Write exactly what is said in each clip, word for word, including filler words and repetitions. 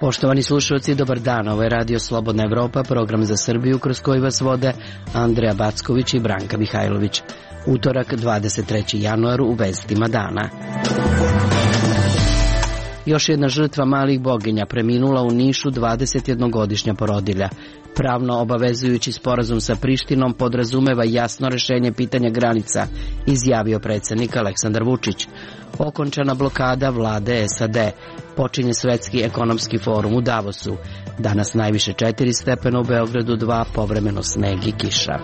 Poštovani slušalci, dobar dan. Ovo je Radio Slobodna Evropa, program za Srbiju kroz koji vas vode Andreja Backović i Branka Mihajlović. Utorak, dvadeset trećeg januara, u vestima dana. Još jedna žrtva malih boginja preminula u Nišu, dvadesetjednogodišnja porodilja. Pravno obavezujući sporazum sa Prištinom podrazumeva jasno rešenje pitanja granica, izjavio predsjednik Aleksandar Vučić. Okončana blokada vlade S A D. Počinje Svetski ekonomski forum u Davosu. Danas najviše četiri stepena u Beogradu, dva, povremeno sneg i kiša.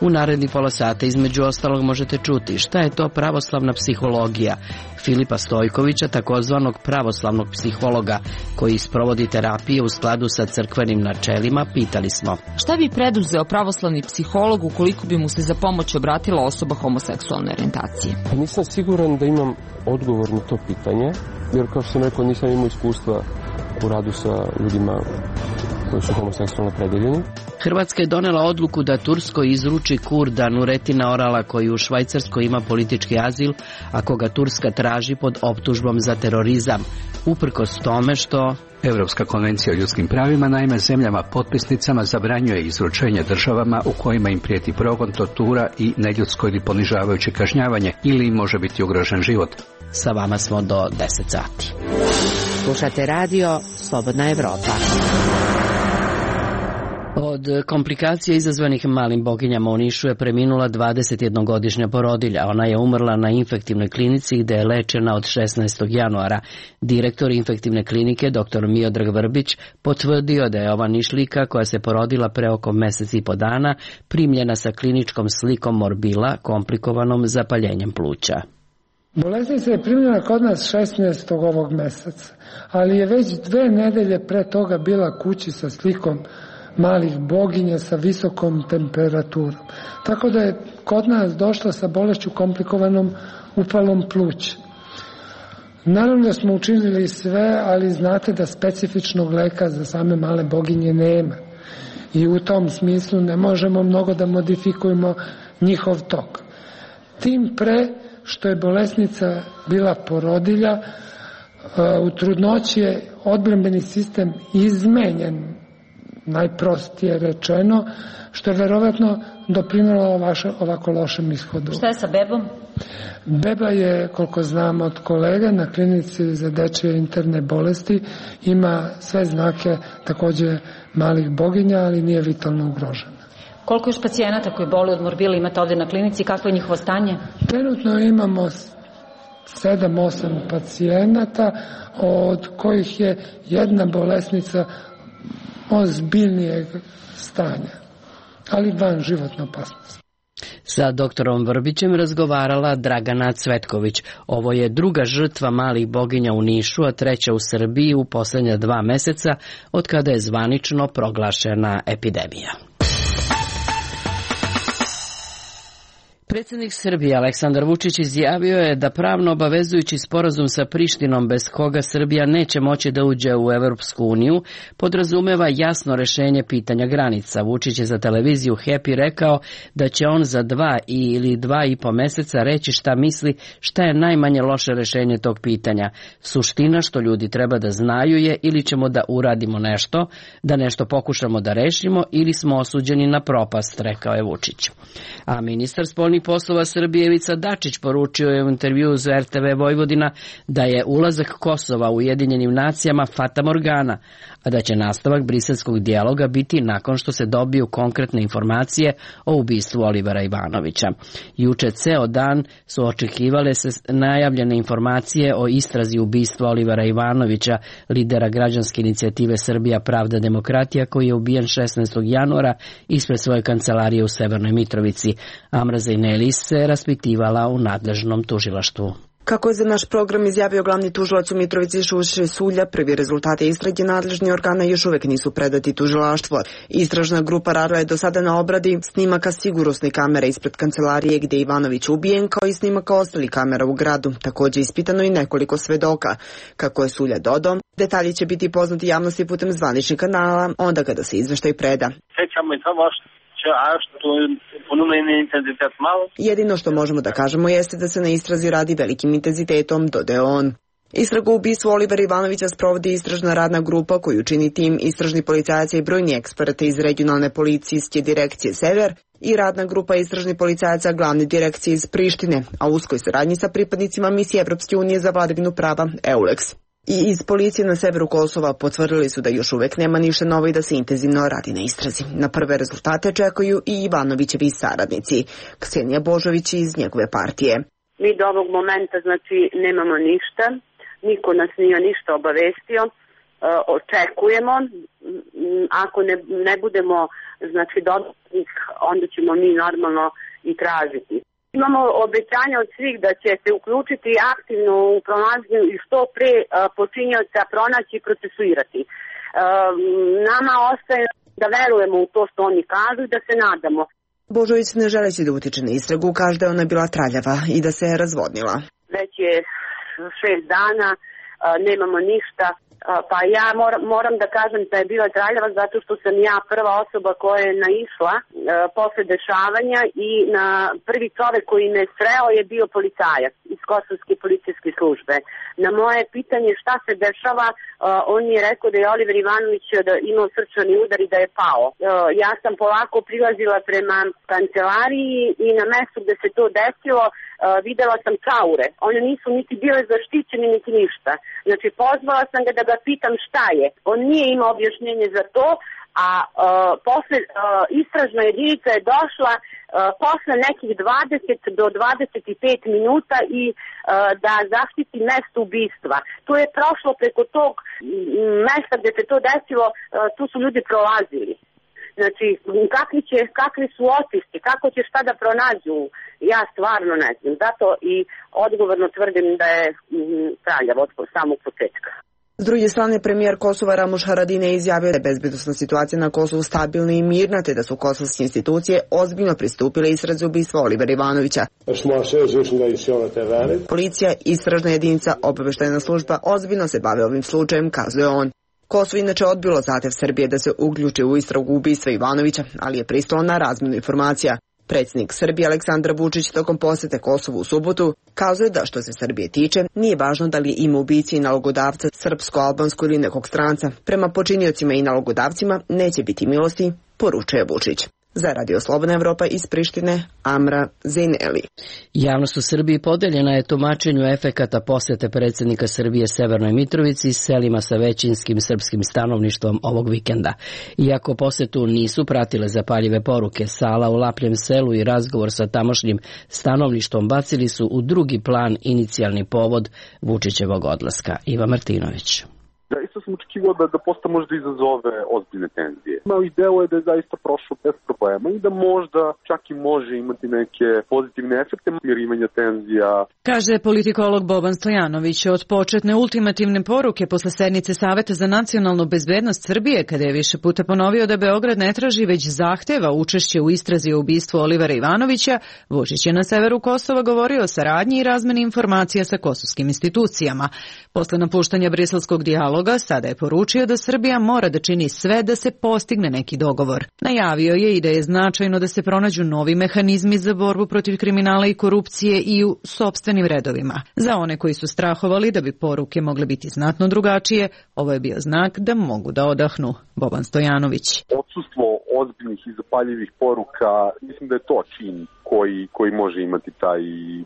U naredni pola sata između ostalog možete čuti šta je to pravoslavna psihologija Filipa Stojkovića, takozvanog pravoslavnog psihologa koji sprovodi terapije u skladu sa crkvenim načelima. Pitali smo: šta bi preduzeo pravoslavni psiholog ukoliko bi mu se za pomoć obratila osoba homoseksualne orijentacije? Nisam siguran da imam odgovor na to pitanje, jer kao što sam rekao, nisam imao iskustva u radu sa ljudima koji su homoseksualno opredeljeni. Hrvatska je donela odluku da Turskoj izruči Kurda Nuretina Orala, koji u Švajcarskoj ima politički azil, a koga Turska traži pod optužbom za terorizam, uprkos tome što Evropska konvencija o ljudskim pravima naime zemljama potpisnicama zabranjuje izručenje državama u kojima im prijeti progon, tortura i neljudsko ili ponižavajuće kažnjavanje ili im može biti ugrožen život. Sa vama smo do deset sati. Slušate radio Slobodna Evropa. Od komplikacija izazvanih malim boginjama u Nišu je preminula dvadesetjednogodišnja porodilja. Ona je umrla na infektivnoj klinici gde je lečena od šesnaestog januara. Direktor infektivne klinike, doktor Miodrag Vrbić, potvrdio da je ova Nišlika, koja se porodila pre oko mesec i po dana, primljena sa kliničkom slikom morbila, komplikovanom zapaljenjem pluća. Bolesnica je primljena kod nas šesnaestog ovog meseca, ali je već dve nedelje pre toga bila kući sa slikom malih boginja sa visokom temperaturom. Tako da je kod nas došla sa bolešću komplikovanom upalom pluća. Naravno da smo učinili sve, ali znate da specifičnog leka za same male boginje nema. I u tom smislu ne možemo mnogo da modifikujemo njihov tok. Tim pre što je bolesnica bila porodilja, u trudnoći je odbrambeni sistem izmenjen, najprostije rečeno, što je verovatno doprinelo ovako lošem ishodu. Šta je sa bebom? Beba je, koliko znam od kolega, na klinici za dečje interne bolesti, ima sve znake takođe malih boginja, ali nije vitalno ugrožena. Koliko još pacijenata koji boluju od morbila imate ovde na klinici? Kakvo je njihovo stanje? Trenutno imamo sedam osam pacijenata, od kojih je jedna bolesnica ozbiljnijeg stanja, ali van životne opasnosti. Sa doktorom Vrbićem razgovarala Dragana Cvetković. Ovo je druga žrtva malih boginja u Nišu, a treća u Srbiji u poslednja dva meseca od kada je zvanično proglašena epidemija. Predsjednik Srbije Aleksandar Vučić izjavio je da pravno obavezujući sporazum sa Prištinom, bez koga Srbija neće moći da uđe u Evropsku uniju, podrazumeva jasno rešenje pitanja granica. Vučić je za televiziju Happy rekao da će on za dva ili dva i po meseca reći šta misli, šta je najmanje loše rešenje tog pitanja. Suština što ljudi treba da znaju je ili ćemo da uradimo nešto, da nešto pokušamo da rešimo, ili smo osuđeni na propast, rekao je Vučić. A ministar spoljnih poslova Srbije Ivica Dačić poručio je u intervjuu za R T V Vojvodina da je ulazak Kosova u Ujedinjenim nacijama fatamorgana, a da će nastavak briselskog dijaloga biti nakon što se dobiju konkretne informacije o ubistvu Olivera Ivanovića. Juče ceo dan su očekivale se najavljene informacije o istrazi ubistva Olivera Ivanovića, lidera građanske inicijative Srbija pravda demokratija, koji je ubijen šesnaestog januara ispred svoje kancelarije u Severnoj Mitrovici. Amra Zejnelis se raspitivala u nadležnom tužilaštvu. Kako je za naš program izjavio glavni tužilac u Mitrovici Šuše Sulja, prvi rezultati istrage nadležni organa još uvek nisu predati tužilaštvu. Istražna grupa radila je do sada na obradi snimaka sigurnosne kamere ispred kancelarije gde je Ivanović ubijen, kao i snimaka ostalih kamera u gradu. Takođe ispitano i nekoliko svedoka. Kako je Sulja dodao, detalji će biti poznati javnosti putem zvaničnih kanala, onda kada se izveštaj preda. Sećamo i samo a što ponumeni intenzitet malo. Jedino što možemo da kažemo jeste da se na istrazi radi velikim intenzitetom, dodao on. Istragu o ubistvu Olivera Ivanovića sprovodi istražna radna grupa koju čini tim istražni policajaca i brojni eksperti iz regionalne policijske direkcije Sever i radna grupa istražni policajaca glavne direkcije iz Prištine, a u uskoj saradnji sa pripadnicima misije Evropske unije za vladavinu prava EULEX. I iz policije na severu Kosova potvrdili su da još uvek nema ništa novo i da se intenzivno radi na istrazi. Na prve rezultate čekaju i Ivanovićevi saradnici. Ksenija Božović iz njegove partije. Mi do ovog momenta znači nemamo ništa, niko nas nije ništa obavestio, očekujemo, ako ne, ne budemo znači dodatnih, onda ćemo mi normalno i tražiti. Imamo obećanja od svih da će se uključiti aktivno u pronalaženju i što pre počinioca pronaći i procesuirati. Nama ostaje da verujemo u to što oni kažu i da se nadamo. Božović ne želeći da utiče na istragu, kaže da je ona bila traljava i da se je razvodnila. Već je šest dana, nemamo ništa. Pa ja moram, moram da kažem da je bila traljava zato što sam ja prva osoba koja je naišla e, posle dešavanja i na prvi čovek koji me sreo je bio policajac iz Kosovske policijske službe. Na moje pitanje šta se dešava, e, on mi je rekao da je Oliver Ivanović da imao srčani udar i da je pao. E, ja sam polako prilazila prema kancelariji i na mestu gde se to desilo Uh, videla sam čaure. One nisu niti bile zaštićene, niti ništa. Znači, pozvala sam ga da ga pitam šta je. On nije imao objašnjenje za to, a uh, posle uh, istražna jedinica je došla uh, posle nekih dvadeset do dvadeset pet minuta i uh, da zaštiti mesto ubistva. To je prošlo preko tog mesta gde se to desilo, uh, tu su ljudi prolazili. Znači, kakvi, će, kakvi su otisci, kako će šta da pronađu, ja stvarno ne znam. Zato i odgovorno tvrdim da je traljav od samog početka. S druge strane, premijer Kosova Ramuš Haradinaj izjavio da je bezbednosna situacija na Kosovu stabilna i mirna, te da su kosovske institucije ozbiljno pristupile istrazi ubistva Olivera Ivanovića. Policija, istražna jedinica, obaveštajna služba ozbiljno se bave ovim slučajem, kazuje on. Kosovo inače odbilo zahtev Srbije da se uključi u istragu ubistva Ivanovića, ali je pristalo na razmjenu informacija. Predsjednik Srbije Aleksandar Vučić tokom posete Kosovu u subotu kazuje da što se Srbije tiče, nije važno da li je ime ubici i nalogodavca srpsko, albansko ili nekog stranca. Prema počiniocima i nalogodavcima neće biti milosti, poručuje Vučić. Za Radio Slobodna Evropa iz Prištine, Amra Zejneli. Javnost u Srbiji podeljena je tumačenju efekata posete predsjednika Srbije Severnoj Mitrovici i selima sa većinskim srpskim stanovništvom ovog vikenda. Iako posetu nisu pratile zapaljive poruke, sala u Lapljem selu i razgovor sa tamošnjim stanovništvom bacili su u drugi plan inicijalni povod Vučićevog odlaska. Iva Martinović. Zaista sam očekivao da, da posta možda izazove ozbiljne tenzije. Mali deo je da je zaista prošlo bez problema i da možda čak i može imati neke pozitivne efekte smirivanja tenzija. Kaže politikolog Boban Stojanović. Od početne ultimativne poruke posle sednice Saveta za nacionalnu bezbednost Srbije, kada je više puta ponovio da Beograd ne traži već zahteva učešće u istrazi o ubistvu Olivera Ivanovića, Vučić je na severu Kosova govorio o saradnji i razmeni informacija sa kosovskim institucijama. Posle napuštanja briselskog dijaloga sada je poručio da Srbija mora da čini sve da se postigne neki dogovor. Najavio je i da je značajno da se pronađu novi mehanizmi za borbu protiv kriminala i korupcije i u sopstvenim redovima. Za one koji su strahovali da bi poruke mogle biti znatno drugačije, ovo je bio znak da mogu da odahnu. Boban Stojanović. Odsustvo ozbiljnih i zapaljivih poruka, mislim da je to čin koji, koji može imati taj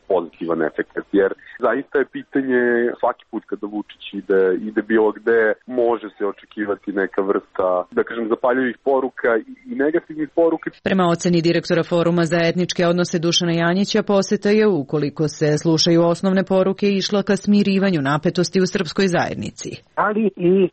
pozitivan efekt, jer zaista je pitanje svaki put kada Vučić ide, ide bilo gde, može se očekivati neka vrsta, da kažem, zapaljivih poruka i negativnih poruka. Prema oceni direktora Foruma za etničke odnose Dušana Janjića, poseta je, ukoliko se slušaju osnovne poruke, išla ka smirivanju napetosti u srpskoj zajednici. Ali i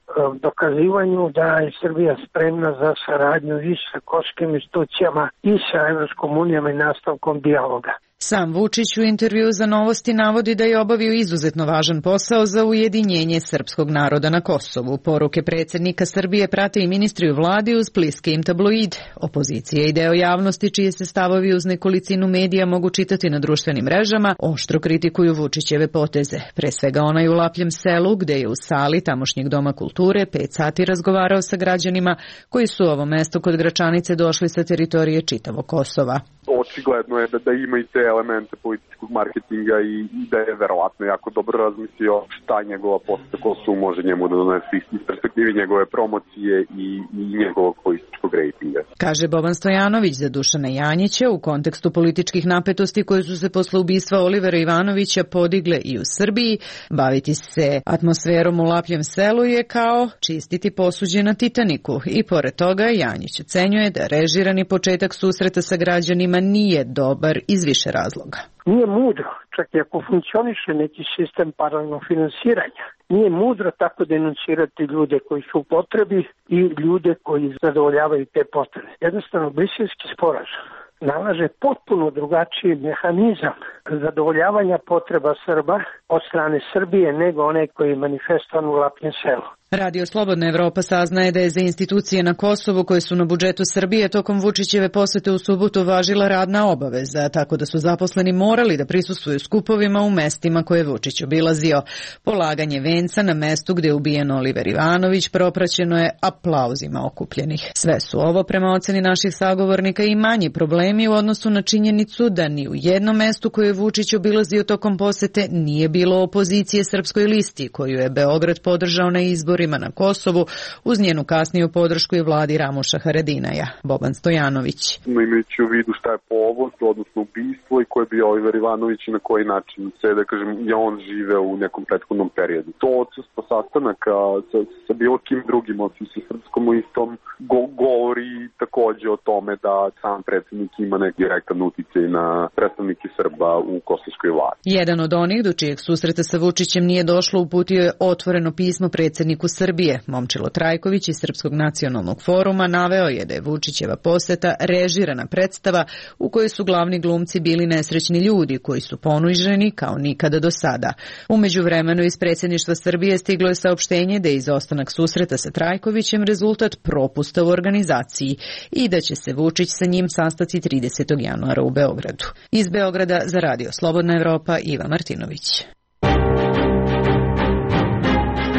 dokazivanju da je Srbija spremna za saradnju i sa kosovskim institucijama i sa Evropskom unijom i nastavkom dijaloga. Sam Vučić u intervju za Novosti navodi da je obavio izuzetno važan posao za ujedinjenje srpskog naroda na Kosovu. Poruke predsjednika Srbije prate i ministri u vladi uz bliske im tabloide. Opozicija i deo javnosti, čije se stavovi uz nekolicinu medija mogu čitati na društvenim mrežama, oštro kritikuju Vučićeve poteze. Pre svega onaj u Lapljem selu, gde je u sali tamošnjeg Doma kulture pet sati razgovarao sa građanima koji su u ovo mesto kod Gračanice došli sa teritorije čitavog Kosova. Očigledno je da, da ima i te elemente političkog marketinga i, i da je verovatno jako dobro razmislio šta njegova poseta Kosovu može njemu da donese iz perspektive njegove promocije i, i njegovog političkog rejtinga. Kaže Boban Stojanović za Dušana Janjića u kontekstu političkih napetosti koje su se posle ubistva Olivera Ivanovića podigle i u Srbiji. Baviti se atmosferom u Lapljem selu je kao čistiti posuđe na Titaniku i pored toga Janjić ocenjuje da režirani početak susreta sa građanima nije dobar iz više razloga. Nije mudro, čak i ako funkcioniše neki sistem paralelnog finansiranja, nije mudro tako denuncirati ljude koji su u potrebi i ljude koji zadovoljavaju te potrebe. Jednostavno, Briselski sporazum nalaže potpuno drugačiji mehanizam zadovoljavanja potreba Srba od strane Srbije nego onaj koji je manifestovan u Lapljem selu. Radio Slobodna Evropa saznaje da je za institucije na Kosovu koje su na budžetu Srbije tokom Vučićeve posete u subotu važila radna obaveza, tako da su zaposleni morali da prisustvuju skupovima u mestima koje je Vučić obilazio. Polaganje venca na mestu gde je ubijen Oliver Ivanović propraćeno je aplauzima okupljenih. Sve su ovo, prema oceni naših sagovornika, i manji problemi u odnosu na činjenicu da ni u jednom mestu koje je Vučić obilazio tokom posete nije bilo opozicije Srpskoj listi, koju je Beograd podržao na izbor na Kosovu uz njenu kasniju podršku i vladi Ramuša Haradinaja. Boban Stojanović. Imajući u vidu šta je povod, odnosno ubistvo i ko je bio Oliver Ivanović i na koji način se, da kažem, je on živeo u nekom prethodnom periodu. To odsustvo sastanaka sa, sa bilo kim drugim, osim sa Srpskom listom, go, govori takođe o tome da sam predsjednik ima neki direktan uticaj na predstavnike Srba u kosovskoj vladi. Jedan od onih do čijeg susreta sa Vučićem nije došlo uputio je otvoreno pismo predsjedniku Srbije. Momčilo Trajković iz Srpskog nacionalnog foruma naveo je da je Vučićeva poseta režirana predstava u kojoj su glavni glumci bili nesrećni ljudi koji su ponuđeni kao nikada do sada. U međuvremenu iz predsjedništva Srbije stiglo je saopštenje da je izostanak susreta sa Trajkovićem rezultat propusta u organizaciji i da će se Vučić sa njim sastati tridesetog januara u Beogradu. Iz Beograda za Radio Slobodna Evropa, Iva Martinović.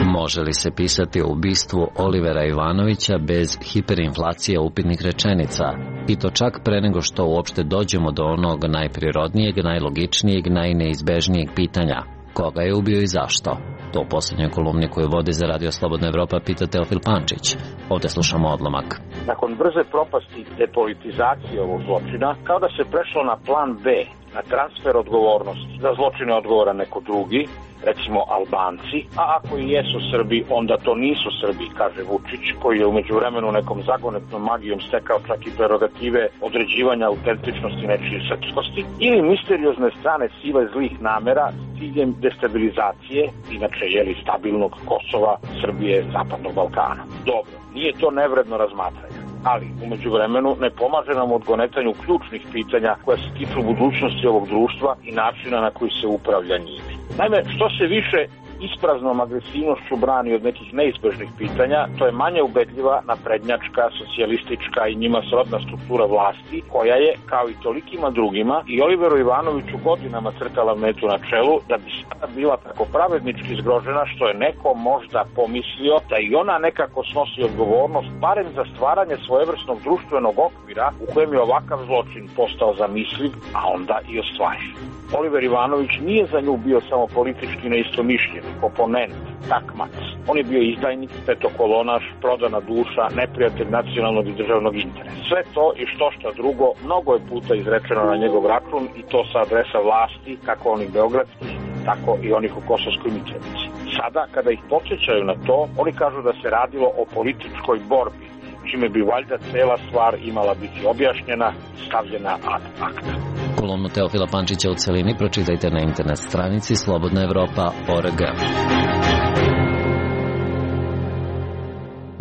Može li se pisati o ubistvu Olivera Ivanovića bez hiperinflacije upitnih rečenica? I to čak pre nego što uopšte dođemo do onog najprirodnijeg, najlogičnijeg, najneizbežnijeg pitanja. Koga je ubio i zašto? To u posljednjoj kolumni koju vodi za Radio Slobodna Evropa pita Teofil Pančić. Ovdje slušamo odlomak. Nakon brze propasti depolitizacije ovog zločina, kao da se prešlo na plan B, na transfer odgovornosti. Za zločine odgovara neko drugi, recimo Albanci, a ako i jesu Srbi, onda to nisu Srbi, kaže Vučić, koji je umeđu vremenu nekom zagonetnom magijom stekao čak i prerogative određivanja autentičnosti nečije srpskosti, ili misteriozne strane sile zlih namera s ciljem destabilizacije, inače jeli stabilnog Kosova, Srbije, Zapadnog Balkana. Dobro, nije to nevredno razmatranje, ali umeđu vremenu ne pomaže nam u odgonetanju ključnih pitanja koja se tiču budućnosti ovog društva i načina na koji se upravlja njime. Naime, što se više ispraznom agresivnošću brani od nekih neizbežnih pitanja, to je manje ubedljiva naprednjačka, socijalistička i njima srodna struktura vlasti, koja je, kao i tolikima drugima, i Oliveru Ivanoviću godinama crtala metu na čelu, da bi sada bila tako pravednički zgrožena što je neko možda pomislio da i ona nekako snosi odgovornost, barem za stvaranje svojevrsnog društvenog okvira u kojem je ovakav zločin postao zamisliv, a onda i ostvariv. Oliver Ivanović nije za nju bio samo politički neistomišljenik, oponent, takmac. On je bio izdajnik, petokolonaš, prodana duša, neprijatelj nacionalnog i državnog interesa. Sve to i što šta drugo mnogo je puta izrečeno na njegov račun i to sa adresa vlasti, kako onih beogradskih, tako i onih u Kosovskoj Mitrovici. Sada, kada ih podsjećaju na to, oni kažu da se radilo o političkoj borbi, čime bi valjda cela stvar imala biti objašnjena, stavljena ad acta. Kolumnu Teofila Pančića u celini pročitajte na internet stranici slobodna evropa tačka org.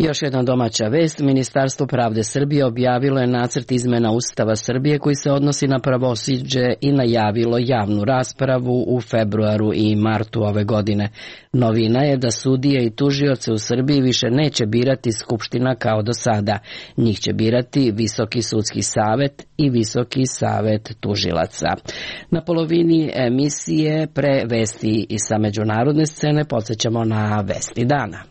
Još jedna domaća vest, Ministarstvo pravde Srbije objavilo je nacrt izmena Ustava Srbije koji se odnosi na pravosuđe i najavilo javnu raspravu u februaru i martu ove godine. Novina je da sudije i tužioce u Srbiji više neće birati Skupština kao do sada. Njih će birati Visoki sudski savet i Visoki savet tužilaca. Na polovini emisije pre vesti i sa međunarodne scene podsjećamo na vesti dana.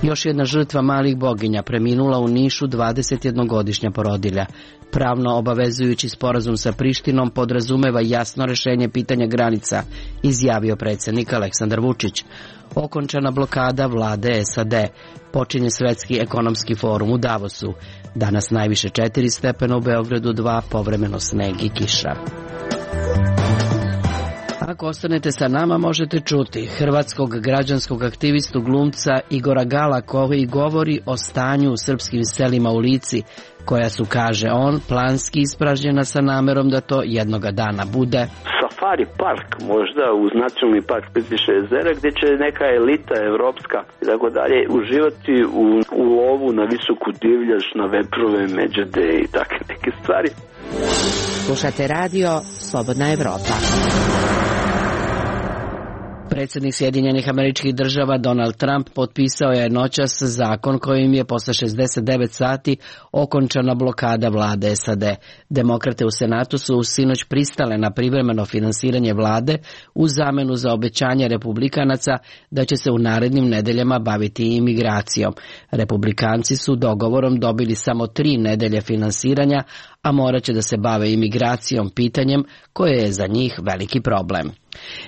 Još jedna žrtva malih boginja preminula u Nišu, dvadesetjednogodišnja porodilja. Pravno obavezujući sporazum sa Prištinom podrazumeva jasno rešenje pitanja granica, izjavio predsjednik Aleksandar Vučić. Okončana blokada vlade S A D. Počinje Svetski ekonomski forum u Davosu. Danas najviše četiri stepena, u Beogradu dva, povremeno sneg i kiša. Ako ostanete sa nama, možete čuti hrvatskog građanskog aktivistu glumca Igora Gala koji govori o stanju u srpskim selima u Lici, koja su, kaže on, planski ispražnjena sa namerom da to jednoga dana bude safari park, možda uz nacionalni park Plitvička jezera, gdje će neka elita evropska i tako dalje uživati u, u lovu na visoku divljač, na veprove, međede i takve neke stvari. Slušate radio Slobodna Evropa. Predsjednik Sjedinjenih Američkih Država Donald Trump potpisao je noćas zakon kojim je posle šezdeset devet sati okončana blokada vlade S A D. Demokrate u Senatu su sinoć pristale na privremeno finansiranje vlade u zamenu za obećanje republikanaca da će se u narednim nedeljama baviti imigracijom. Republikanci su dogovorom dobili samo tri nedelje finansiranja, a morat će da se bave imigracijom, pitanjem koje je za njih veliki problem.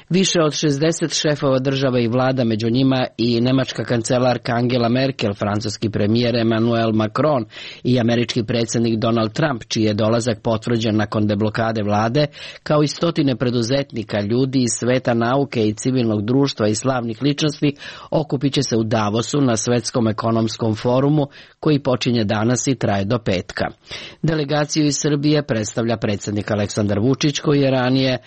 Više od šezdeset šefova država i vlada, među njima i nemačka kancelarka Angela Merkel, francuski premijer Emmanuel Macron i američki predsjednik Donald Trump, čiji je dolazak potvrđen nakon deblokade vlade, kao i stotine preduzetnika, ljudi iz sveta nauke i civilnog društva i slavnih ličnosti, okupit će se u Davosu na Svetskom ekonomskom forumu koji počinje danas i traje do petka. Delegaciju iz Srbije predstavlja predsjednik Aleksandar Vučić, koji je ranije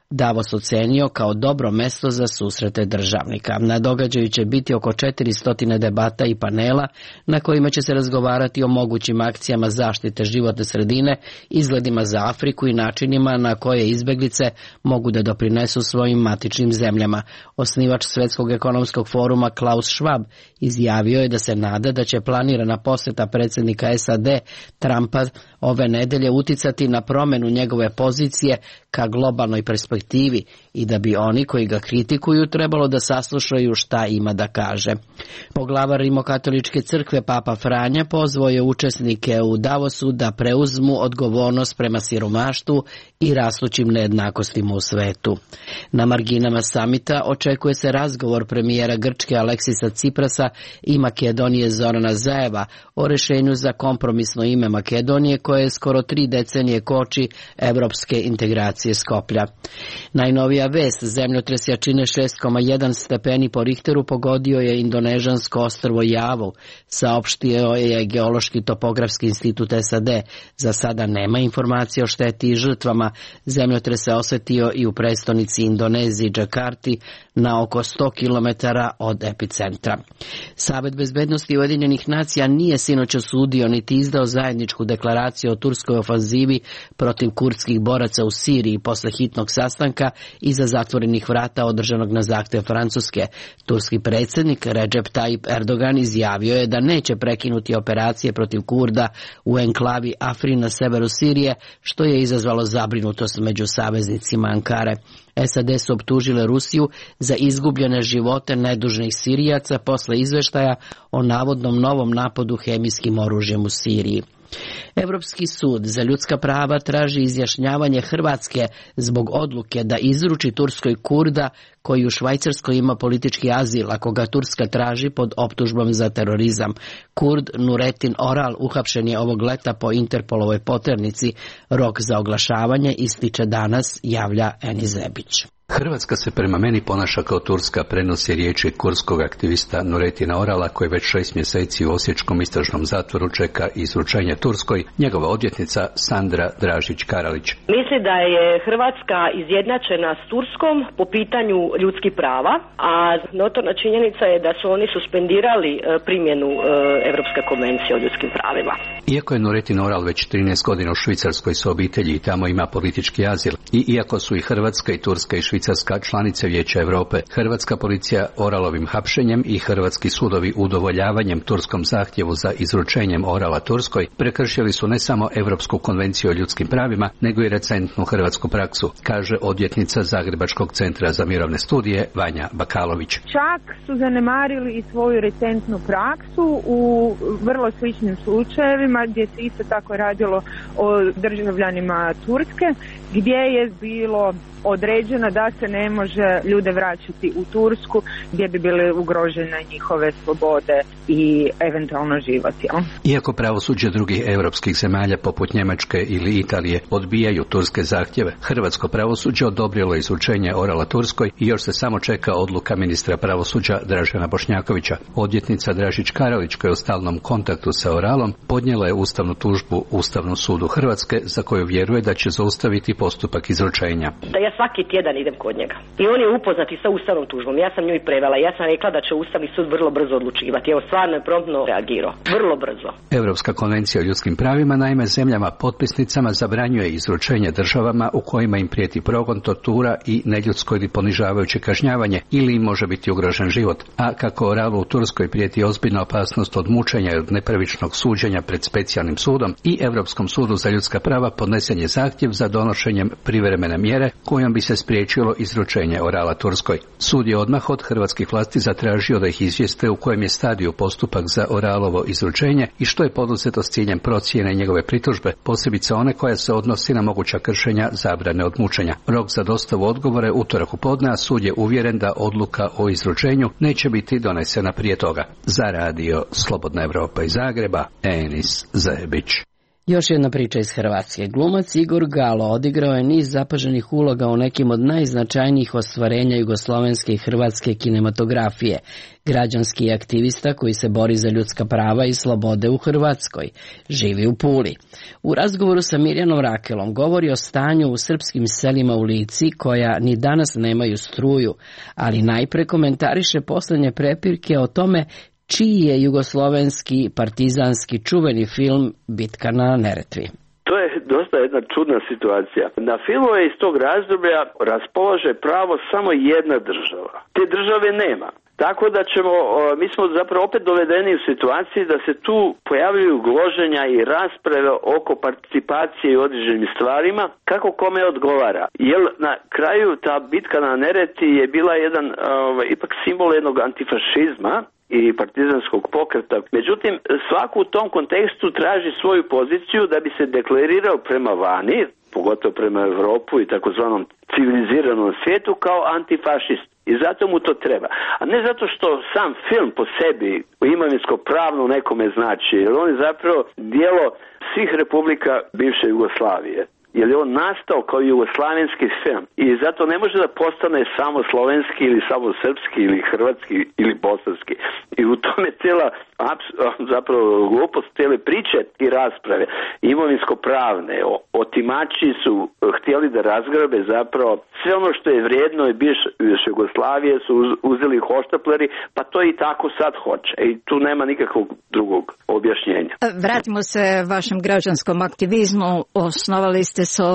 Davos ocenio kao dobro mesto za susrete državnika. Na događaju će biti oko četiristo debata i panela na kojima će se razgovarati o mogućim akcijama zaštite životne sredine, izgledima za Afriku i načinima na koje izbeglice mogu da doprinesu svojim matičnim zemljama. Osnivač Svetskog ekonomskog foruma Klaus Schwab izjavio je da se nada da će planirana posjeta predsjednika S A D Trumpa ove nedelje uticati na promjenu njegove pozicije ka globalnoj perspektivi i da bi oni koji ga kritikuju trebalo da saslušaju šta ima da kaže. Poglavar Rimokatoličke crkve Papa Franja pozvao je učesnike u Davosu da preuzmu odgovornost prema siromaštvu i rastućim nejednakostima u svetu. Na marginama samita očekuje se razgovor premijera Grčke Aleksisa Ciprasa i Makedonije Zorana Zaeva o rešenju za kompromisno ime Makedonije koje je skoro tri decenije koči evropske integracije Skoplja. Najnovija vest, zemljotres jačine šest zarez jedan stepeni po Richteru pogodio je indonežansko ostrvo Javu, saopštio je Geološki topografski institut S A D. Za sada nema informacije o šteti i žrtvama. Zemljotres se osetio i u prestonici Indoneziji, Džakarti, na oko sto kilometara od epicentra. Savet bezbednosti Ujedinjenih nacija nije sinoć osudio niti izdao zajedničku deklaraciju o turskoj ofanzivi protiv kurdskih boraca u Siriji posle hitnog sastanka iza zatvorenih vrata održanog na zahtev Francuske. Turski predsjednik Recep Tayyip Erdogan izjavio je da neće prekinuti operacije protiv Kurda u enklavi Afrin na severu Sirije, što je izazvalo zabrinutost među saveznicima Ankare. S A D su optužile Rusiju za izgubljene živote nedužnih Sirijaca posle izveštaja o navodnom novom napadu hemijskim oružjem u Siriji. Evropski sud za ljudska prava traži izjašnjavanje Hrvatske zbog odluke da izruči Turskoj Kurda koji u Švajcarskoj ima politički azil, ako ga Turska traži pod optužbom za terorizam. Kurd Nuretin Oral uhapšen je ovog leta po Interpolovoj poternici. Rok za oglašavanje ističe danas, javlja Eni Zebić. Hrvatska se prema meni ponaša kao Turska, prenosi riječi kurdskog aktivista Nuretina Orala koji već šest mjeseci u osječkom istražnom zatvoru čeka izručenje Turskoj, njegova odvjetnica Sandra Dražić-Karalić. Misli da je Hrvatska izjednačena s Turskom po pitanju ljudskih prava, a notorna činjenica je da su oni suspendirali primjenu Evropske konvencije o ljudskim pravima. Iako je Nurettin Oral već trinaest godina u Švicarskoj sa obitelji i tamo ima politički azil, i iako su i Hrvatska i Turska i Švicarska članice Vijeća Europe, hrvatska policija Oralovim hapšenjem i hrvatski sudovi udovoljavanjem turskom zahtjevu za izručenjem Orala Turskoj prekršili su ne samo Europsku konvenciju o ljudskim pravima, nego i recentnu hrvatsku praksu, kaže odvjetnica Zagrebačkog centra za mirovne studije Vanja Bakalović. Čak su zanemarili i svoju recentnu praksu u vrlo sličnim slučajevima gdje se isto tako radilo o državljanima Turske, gdje je bilo određeno da se ne može ljude vraćati u Tursku gdje bi bile ugrožene njihove slobode i eventualno život. Jel? Iako pravosuđe drugih europskih zemalja poput Njemačke ili Italije odbijaju turske zahtjeve, hrvatsko pravosuđe odobrilo izručenje Orala Turskoj i još se samo čeka odluka ministra pravosuđa Dražena Bošnjakovića. Odvjetnica Dražić Karalić, koja je u stalnom kontaktu sa Oralom, podnijela je ustavnu tužbu Ustavnom sudu Hrvatske za koju vjeruje da će zaustaviti postupak izručenja. Da ja svaki tjedan idem kod njega. I on je upoznat i sa ustavnom tužbom. Ja sam nju i prevela. Ja sam rekla da će Ustavni sud vrlo brzo odlučivati. Evo, stvarno je promptno reagirao. Vrlo brzo. Europska konvencija o ljudskim pravima naime zemljama potpisnicama zabranjuje izručenje državama u kojima im prijeti progon, tortura i neljudsko ili ponižavajuće kažnjavanje ili im može biti ugrožen život. A kako Oralu u Turskoj prijeti ozbiljna opasnost od mučenja i od nepravičnog suđenja pred specijalnim sudom i Europskom sudu za ljudska prava podnesen je zahtjev za donošenjem privremene mjere kojom bi se spriječilo izručenje Orala Turskoj. Sud je odmah od hrvatskih vlasti zatražio da ih izvijeste u kojem je stadiju postupak za Oralovo izručenje i što je poduzeto s ciljem procjene njegove pritužbe, posebice one koja se odnosi na moguća kršenja zabrane od mučenja. Rok za dostavu odgovore utorak u podne, a sud je uvjeren da odluka o izručenju neće biti donesena prije toga. Za radio Slobodna Evropa iz Zagreba, Enis Zebić. Još jedna priča iz Hrvatske. Glumac Igor Galo odigrao je niz zapaženih uloga u nekim od najznačajnijih ostvarenja jugoslovenske i hrvatske kinematografije. Građanski aktivista koji se bori za ljudska prava i slobode u Hrvatskoj. Živi u Puli. U razgovoru sa Mirjanom Rakelom govori o stanju u srpskim selima u Lici koja ni danas nemaju struju, ali najpre komentariše posljednje prepirke o tome čiji je jugoslovenski partizanski čuveni film Bitka na Neretvi. To je dosta jedna čudna situacija. Na filmove iz tog razdoblja raspolaže pravo samo jedna država. Te države nema. Tako da ćemo, mi smo zapravo opet dovedeni u situaciji da se tu pojavljuju gloženja i rasprave oko participacije i određenim stvarima, kako kome odgovara. Jer na kraju ta bitka na Neretvi je bila jedan ovaj, ipak simbol jednog antifašizma i partizanskog pokreta. Međutim, svako u tom kontekstu traži svoju poziciju da bi se deklarirao prema vani, pogotovo prema Europu i takozvanom civiliziranom svijetu, kao antifašist. I zato mu to treba. A ne zato što sam film po sebi imovinsko pravno nekome znači, jer on je zapravo dijelo svih republika bivše Jugoslavije. Jer je on nastao kao jugoslavenski film i zato ne može da postane samo slovenski ili samo srpski ili hrvatski ili bosanski. I u tome cijela zapravo glupost cijele priče i rasprave imovinsko-pravne. Otimači su htjeli da razgrabe zapravo sve ono što je vrijedno i bivše Jugoslavije su uzeli hoštapleri, pa to i tako sad hoće. I tu nema nikakvog drugog objašnjenja. Vratimo se vašem građanskom aktivizmu. Osnovali ste sa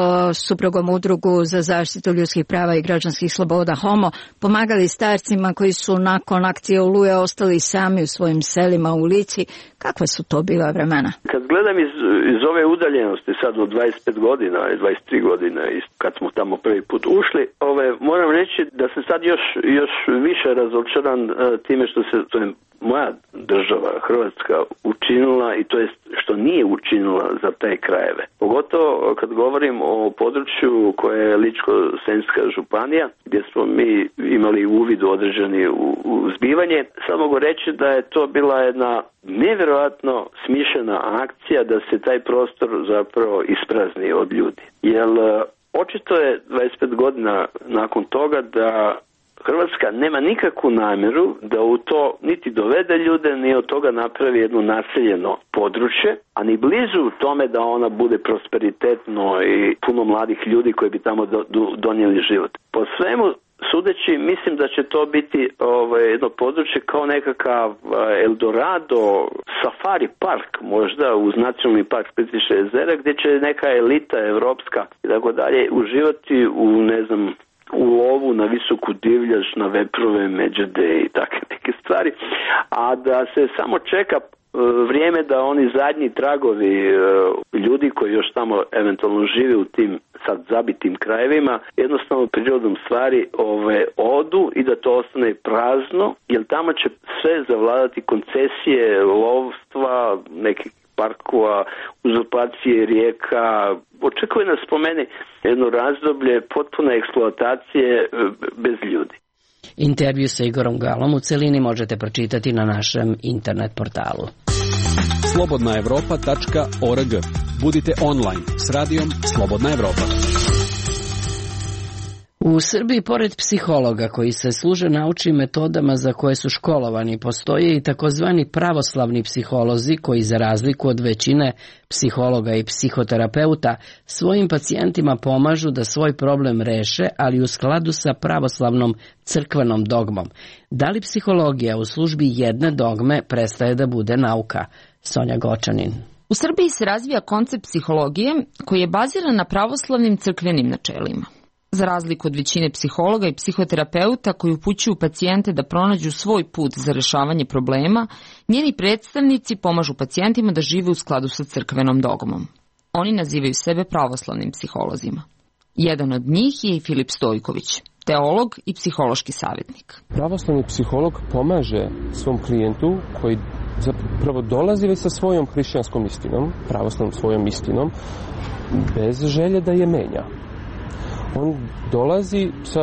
suprugom udrugu za zaštitu ljudskih prava i građanskih sloboda Homo, pomagali starcima koji su nakon akcije Oluje ostali sami u svojim selima u Lici. Kakve su to bila vremena? Kad gledam iz, iz ove udaljenosti sad od dvadeset pet godina i dvadeset tri godine kad smo tamo prvi put ušli, ove, moram reći da sam sad još, još više razočaran uh, time što se to je moja država Hrvatska učinila i to jest što nije učinila za te krajeve. Pogotovo kad govorim o području koje je Ličko-senjska županija gdje smo mi imali uvid određeni u, u zbivanje. Sad mogu reći da je to bila jedna nevjerojatno smišljena akcija da se taj prostor zapravo isprazni od ljudi. Jer očito je dvadeset pet godina nakon toga da Hrvatska nema nikakvu namjeru da u to niti dovede ljude, ni od toga napravi jedno naseljeno područje, a ni blizu tome da ona bude prosperitetno i puno mladih ljudi koji bi tamo do, do, donijeli život. Po svemu sudeći, mislim da će to biti ovaj, jedno područje kao nekakav Eldorado safari park, možda uz nacionalni park Plitvička jezera, gdje će neka elita evropska i tako dalje uživati u, ne znam, u lovu na visoku divljač, na veprove, međede i takve neke stvari, a da se samo čeka vrijeme da oni zadnji tragovi ljudi koji još tamo eventualno žive u tim sad zabitim krajevima jednostavno prirodom stvari ove, odu i da to ostane prazno, jer tamo će sve zavladati koncesije, lovstva, nekih parkova, uzurpacije rijeka. Očekuje nas po meni jedno razdoblje potpune eksploatacije bez ljudi. Intervju sa Igorom Galom u celini možete pročitati na našem internet portalu. slobodna evropa tačka org. Budite online s radijom Slobodna Evropa. U Srbiji, pored psihologa koji se služe naučnim metodama za koje su školovani, postoje i takozvani pravoslavni psiholozi koji, za razliku od većine psihologa i psihoterapeuta, svojim pacijentima pomažu da svoj problem reše, ali u skladu sa pravoslavnom crkvenom dogmom. Da li psihologija u službi jedne dogme prestaje da bude nauka? Sonja Gočanin. U Srbiji se razvija koncept psihologije koji je baziran na pravoslavnim crkvenim načelima. Za razliku od većine psihologa i psihoterapeuta koji upućuju pacijente da pronađu svoj put za rešavanje problema, njeni predstavnici pomažu pacijentima da žive u skladu sa crkvenom dogmom. Oni nazivaju sebe pravoslavnim psiholozima. Jedan od njih je i Filip Stojković, teolog i psihološki savjetnik. Pravoslavni psiholog pomaže svom klijentu koji zapravo dolazi već sa svojom hrišćanskom istinom, pravoslavnom svojom istinom, bez želje da je menja. On dolazi sa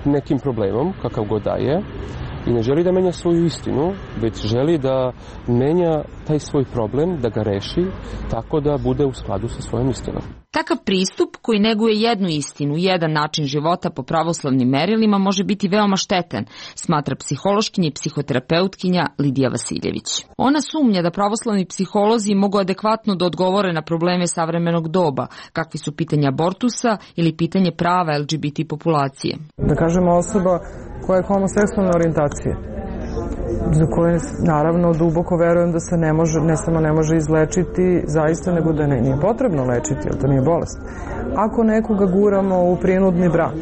nekim problemom, kakav god da je, i ne želi da menja svoju istinu, već želi da menja taj svoj problem, da ga reši tako da bude u skladu sa svojom istinom. Takav pristup koji neguje jednu istinu, jedan način života po pravoslavnim merilima može biti veoma štetan, smatra psihološkinja i psihoterapeutkinja Lidija Vasiljević. Ona sumnja da pravoslavni psiholozi mogu adekvatno da odgovore na probleme savremenog doba, kakvi su pitanja abortusa ili pitanje prava L G B T populacije. Da kažemo osoba koja je homoseksualne orijentacije, za koje naravno duboko verujem da se ne može, ne samo ne može izlečiti zaista, nego da ne, nije potrebno lečiti, jer to nije bolest. Ako nekoga guramo u prinudni brak,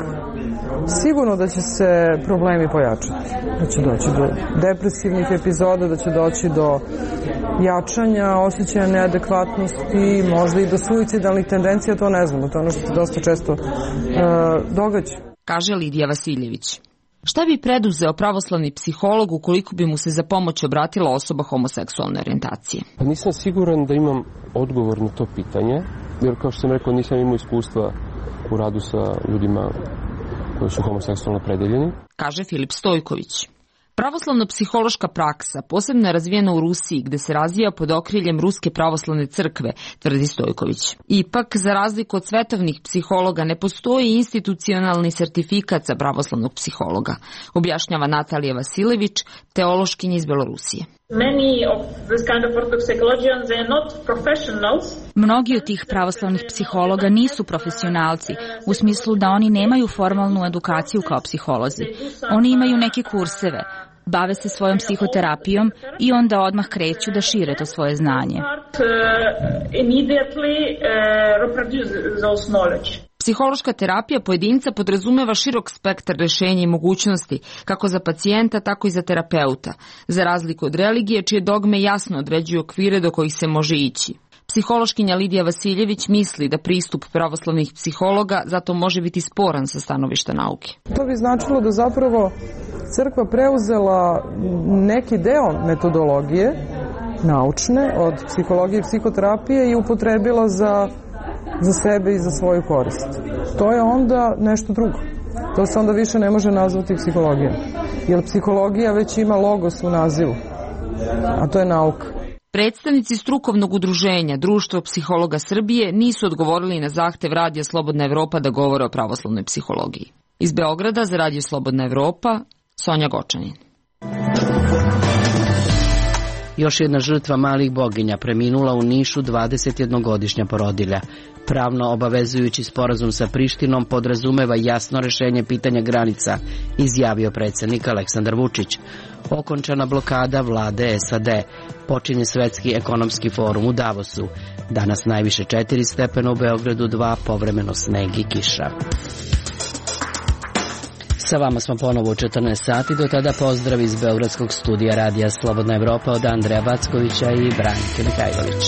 sigurno da će se problemi pojačati, da će doći do depresivnih epizoda, da će doći do jačanja, osjećaja neadekvatnosti, možda i do suicidalnih tendencija, to ne znamo, to je ono što se dosta često uh, događa. Kaže Lidija Vasiljević. Šta bi preduzeo pravoslavni psiholog ukoliko bi mu se za pomoć obratila osoba homoseksualne orijentacije? Pa nisam siguran da imam odgovor na to pitanje, jer kao što sam rekao nisam imao iskustva u radu sa ljudima koji su homoseksualno opredeljeni. Kaže Filip Stojković. Pravoslavno-psihološka praksa posebno je razvijena u Rusiji, gde se razvija pod okriljem Ruske pravoslavne crkve, tvrdi Stojković. Ipak, za razliku od svetovnih psihologa, ne postoji institucionalni sertifikat za pravoslavnog psihologa, objašnjava Natalija Vasilević, teološkinja iz Belorusije. Mnogi od tih pravoslavnih psihologa nisu profesionalci, u smislu da oni nemaju formalnu edukaciju kao psiholozi. Oni imaju neke kurseve, bave se svojom psihoterapijom i onda odmah kreću da šire to svoje znanje. Psihološka terapija pojedinca podrazumeva širok spektar rešenja i mogućnosti, kako za pacijenta, tako i za terapeuta, za razliku od religije, čije dogme jasno određuju okvire do kojih se može ići. Psihološkinja Lidija Vasiljević misli da pristup pravoslavnih psihologa zato može biti sporan sa stanovišta nauke. To bi značilo da zapravo crkva preuzela neki deo metodologije naučne od psihologije i psihoterapije i upotrebila za za sebe i za svoju korist. To je onda nešto drugo. To se onda više ne može nazvati psihologijom. Jer psihologija već ima logos u nazivu, a to je nauka. Predstavnici strukovnog udruženja Društvo psihologa Srbije nisu odgovorili na zahtev Radija Slobodna Evropa da govore o pravoslavnoj psihologiji. Iz Beograda za Radio Slobodna Evropa, Sonja Gočanin. Još jedna žrtva malih boginja preminula u Nišu, dvadesetjednogodišnja porodilja. Pravno obavezujući sporazum sa Prištinom podrazumeva jasno rešenje pitanja granica, izjavio predsjednik Aleksandar Vučić. Okončana blokada vlade S A D. Počinje svetski ekonomski forum u Davosu. Danas najviše četiri stepena, u Beogradu dva, povremeno sneg i kiša. Sa vama smo ponovo u četrnaest sati, do tada pozdrav iz Beogradskog studija Radija Slobodna Evropa od Andreja Backovića i Branke Mihajlović.